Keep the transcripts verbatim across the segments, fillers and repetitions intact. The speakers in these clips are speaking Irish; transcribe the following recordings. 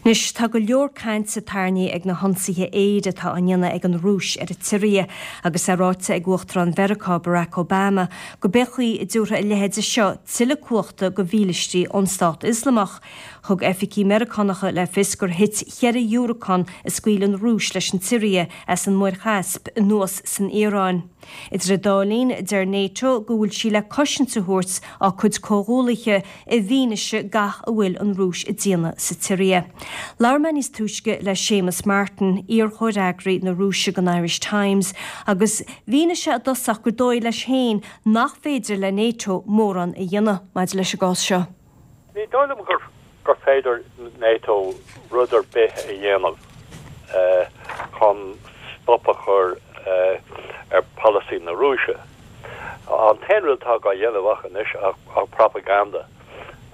Anois, tá go leor cainte tarraingthe ag na hionsaithe aeir atá á ndéanamh ag an Rúis ar an tSiria agus é ráite ag Uachtarán Mheiriceá Barack Obama go b'é an chaoi a dtabharfaidh a leithéid seo tuilleadh cumhachta do mhílistí ón Stát Ioslamach. Thug oifigigh Meiriceánacha le fios gur thit cheithre dhiúracán a scaoil an Rúis leis an tSiria as an Muir Chaisp anuas san Iaráin. Idir an dá linn, deir NATO go bhfuil sí le cosaint a thabhairt dá cuid comhghuaillithe i bhfianaise gach a bhfuil an Rúis ag déanamh sa tSiria. Labhair mé níos túisce le Séamus Martin, iar-chomhfhreagraí na Rúise don Irish Times, agus mhínigh sé i dtosach gur dóigh leis féin nach féidir le NATO mórán a dhéanamh maidir leis an gcás seo. Ní dóigh liom gur gur féidir NATO rud ar bith a dhéanamh chun stop a chur ar polasaí na Rúise. An t-aon rud atá á dhéanamh ach anois ach propaganda.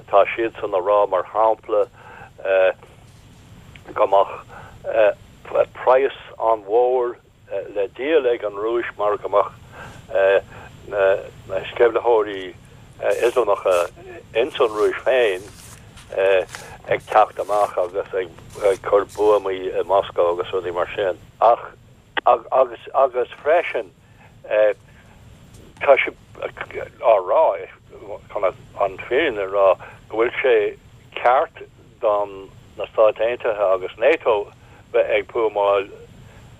Tá siad san a rá mar shampla go mbeadh praghas an-mhór le díol ag an Rúis mar go mbeadh na sceimhlitheoirí Ioslamacha ins an Rúis féin ag teacht amach agus ag cur buamaí i Moscow agus rudaí mar sin. Ach agus agus freisin tá sé á rá chun an fhírinne a rá go bhfuil sé ceart don na Stáit Aontaithe agus NATO bheith ag buamáil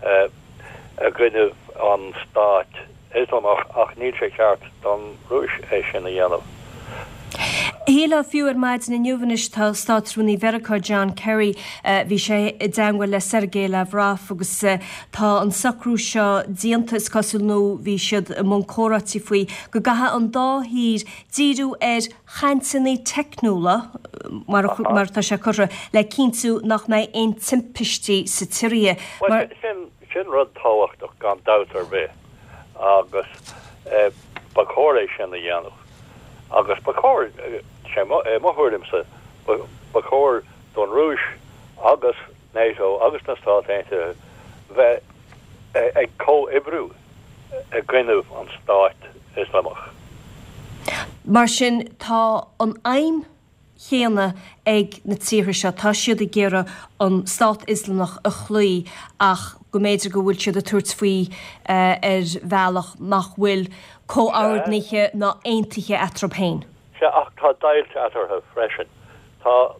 i gcoinne an Stáit Ioslamach ach níl sé ceart don Rúis é sin a dhéanamh. Shílfeá fiú ar maidin inniu anois tá Státrúnaí Mheiriceá John Kerry bhí sé i dteagmháil le Sergei Lavrov agus tá an socrú seo déanta is cosúil nó bhí siad i mbun comhráití faoi go gcaithfidh an dá thír díriú ar chainteanna teicniúla mar mar atá sé curtha le cinntiú nach mbeidh aon timpistí sa tSiria. Mar sin sin rud tábhachtach gan dabht ar bith agus ba chóir é sin a dhéanamh. Agus ba chóir sé mo thuairimse ba chóir don Rúis agus NATO agus na Stáit Aontaithe bheith ag comhoibriú i gcoinne an Stáit Ioslamach. Mar sin tá an aidhm chéanna ag na tíortha seo, tá siad ag iarraidh an Stát Ioslamach a chloí ach go mb'fhéidir go bhfuil siad ag tabhairt faoi ar bhealach nach bhfuil comhordnaithe ná aontaithe eatarthu féin. Sea, ach tá deighilt eatarthu freisin. Tá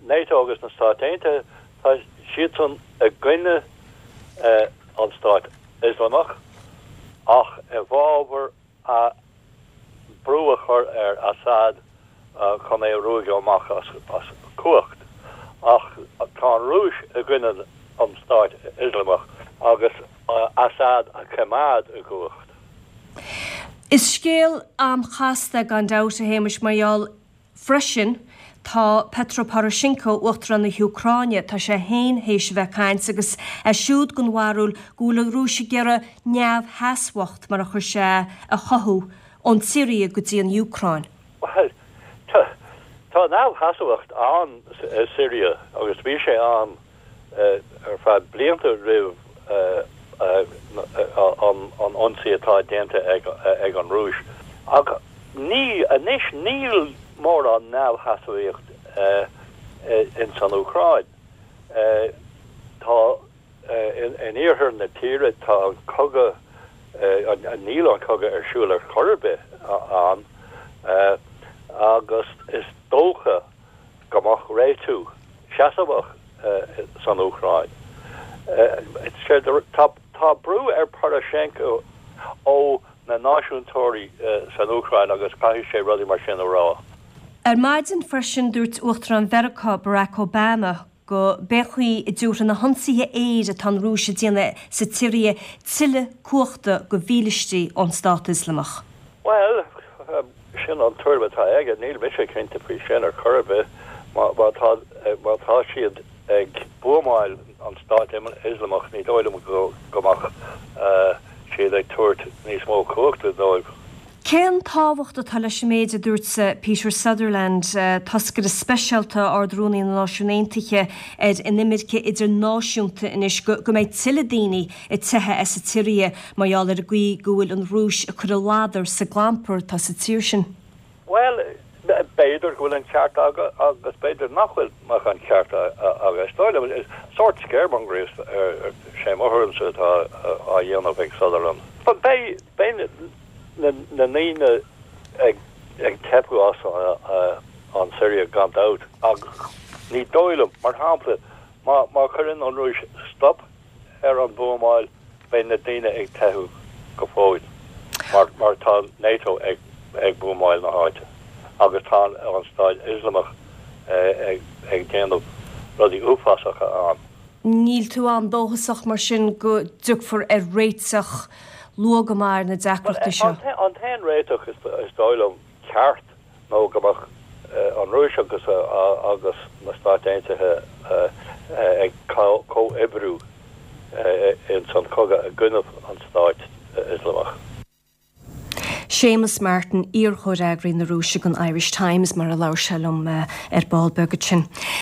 NATO agus na Stáit Aontaithe, tá siadsan i gcoinne an Stáit Ioslamach ach i bhfabhar a brú a chur ar Assad chun é a ruaigeadh amach as as cumhacht. Ach tá an Rúis i gcoinne an Stáit Ioslamach agus Assad a choimeád i gcumhacht. Is scéal an-chasta gan dabht a Shéamais mar gheall freisin tá Petro Poroshenko, Uachtarán na hÚcráine, tá sé féin théis a bheith ag caint agus é siúd den bharúil go bhfuil an Rúis ag iarraidh neamhsheasmhacht, mar a chuir sé, a chothú ón tSiria go dtí an Úcráin. Bhuel, tá neamhsheasmhacht ann i Siria agus bhí sé ann ar feadh blianta roimh an ionsaí atá déanta ag an Rúis. Ach ní anois níl mórán neamhsheasmhacht ins an Úcráin. Tá in iarthar na tíre tá an cogadh níl an cogadh ar siúl ar chor ar bith ann agus is dócha go mbeadh réitiú seasmhach san Úcráin. Tá brú ar Poroshenko ó na náisiúntóirí san Úcráin agus caithfidh sé rudaí mar sin a rá. Ar maidin freisin dúirt Uachtarán Mheiriceá Barack Obama go b'é an chaoi a dtabharfaidh na hionsaithe aeir atá an Rúis ag déanamh sa tSiria tuilleadh cumhachta do mhílistí ón Stát Ioslamach. Bhuel, sin an tuairim atá aige, níl mise cinnte faoi sin ar chor ar bith. Má tá má tá siad ag buamáil an Stát Ioslamach ní dóigh liom go go mbeadh siad ag tabhairt níos mó cumhachta dóibh. Cén tábhacht atá leis an méid a dúirt Peter Sutherland, toscaire speisialta Ard-Rúnaí na Náisiún Aontaithe ar an imirce idirnáisiúnta anois, go go mbeidh tuilleadh daoine ag teitheadh as an tSiria mar gheall ar an gcaoi go bhfuil an Rúis ag cur a ladar sa gclampar atá sa tír sin? Bhuel, B'fhéidir go bhfuil an ceart aige agus b'fhéidir nach bhfuil mach an ceart agus dóile sórt scaremongering sé mo thuairimse atá á dhéanamh ag Sutherland. Beidh na daoine ag ag teitheadh as an Siria gan dabht ach ní dóigh liom mar shampla má má chuireann an Rúis stop ar an buamáil beidh na daoine ag teitheadh go fóill mar mar tá NATO ag ag buamáil na háite agus tá an Stát Ioslamach ag ag déanamh rudaí uafásacha ann. Níl tú an-dóchasach mar sin go dtiocfar ar réiteach luath go maith ar na deacrachtaí seo. An t-aon réiteach is dóigh liom ceart nó go mbeadh an Rúis agus agus na Stáit Aontaithe ag comhoibriú in san cogadh i gcoinne an Stáit Ioslamach. Séamus Martin iarchomhfhreagraí na Rúise don Irish Times mar a labhair sé liom ar ball beag ansin.